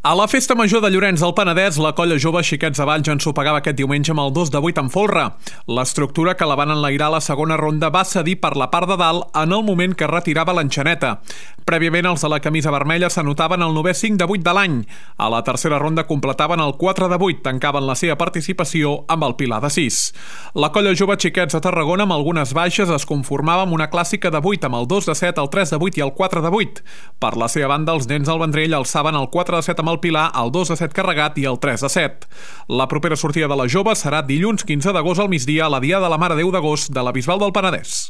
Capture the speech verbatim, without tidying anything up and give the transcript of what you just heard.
A la Festa Major de Llorenç del Penedès, la colla jove Xiquets de Valls ensopegava aquest diumenge amb el dos de vuit en folre. L'estructura que la van enlairar a la segona ronda va cedir per la part de dalt en el moment que retirava l'enxaneta. Prèviament, els de la camisa vermella s'anotaven el novè cinc de vuit de l'any. A la tercera ronda completaven el quatre de vuit, tancaven la seva participació amb el pilar de sis. La colla jove Xiquets de Tarragona, amb algunes baixes, es conformava amb una clàssica de vuit, amb el dos de set, el tres de vuit i el quatre de vuit. Per la seva banda, els nens del Vendrell alçaven el quatre de set amb el pilar, el dos de set carregat i el tres de set. La propera sortida de la jove serà dilluns quinze d'agost al migdia a la Diada de la Mare de Déu d'agost de la Bisbal del Penedès.